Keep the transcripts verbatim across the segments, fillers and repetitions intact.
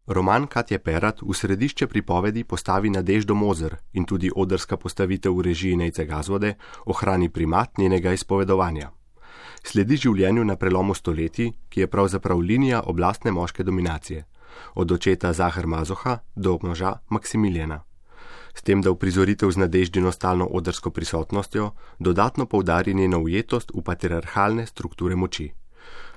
Roman Katje Perat v središče pripovedi postavi Nadeždo Moser in tudi odrska postavitev v režiji Nejce Gazvode ohrani primat njenega izpovedovanja. Sledi življenju na prelomu stoletij, ki je pravzaprav linija oblastne moške dominacije, od očeta Zahar Mazoha do moža Maksimiljana. S tem, da uprizoritev z Nadeždino stalno odrsko prisotnostjo dodatno poudari njeno ujetost v patriarhalne strukture moči.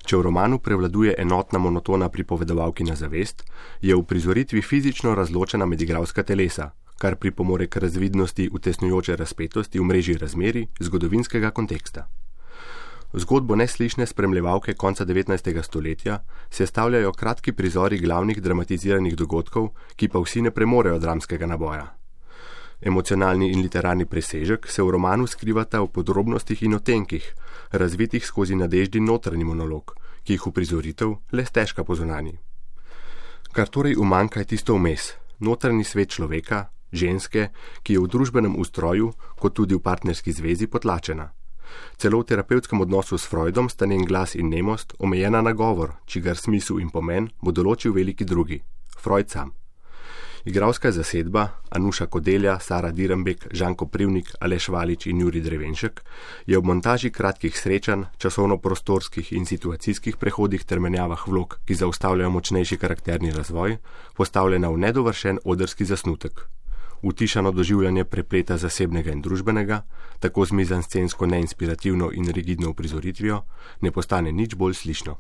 Če v romanu prevladuje enotna monotona pripovedovalkina zavest, je v uprizoritvi fizično razločena med igralska telesa, kar pripomore k razvidnosti utesnjujoče razpetosti v mreži razmerij zgodovinskega konteksta. Zgodbo neslišne spremljevalke konca devetnajstega stoletja sestavljajo kratki prizori glavnih dramatiziranih dogodkov, ki pa vsi ne premorejo dramskega naboja. Emocionalni in literarni presežek se v romanu skrivata v podrobnostih in otenkih, razvitih skozi Nadeždin notranji monolog, ki jih uprizoritev le stežka pozunani. Kar torej umanjka je tisto vmes, notranji svet človeka, ženske, ki je v družbenem ustroju, kot tudi v partnerski zvezi potlačena. Celo v terapevtskem odnosu s Freudom sta njen glas in nemost omejena na govor, čigar smisel in pomen bo določil veliki drugi, Freud sam. Igralska zasedba, Anuša Kodelja, Sara Dirembek, Žan Koprivnik, Aleš Valič in Jurij Drevenšek, je ob montaži kratkih srečanj, časovno-prostorskih in situacijskih prehodih ter menjavah vlog, ki zaustavljajo močnejši karakterni razvoj, postavljena v nedovršen odrski zasnutek. Utišano doživljanje prepleta zasebnega in družbenega, tako z mizanscensko neinspirativno in rigidno uprizoritvijo, ne postane nič bolj slišno.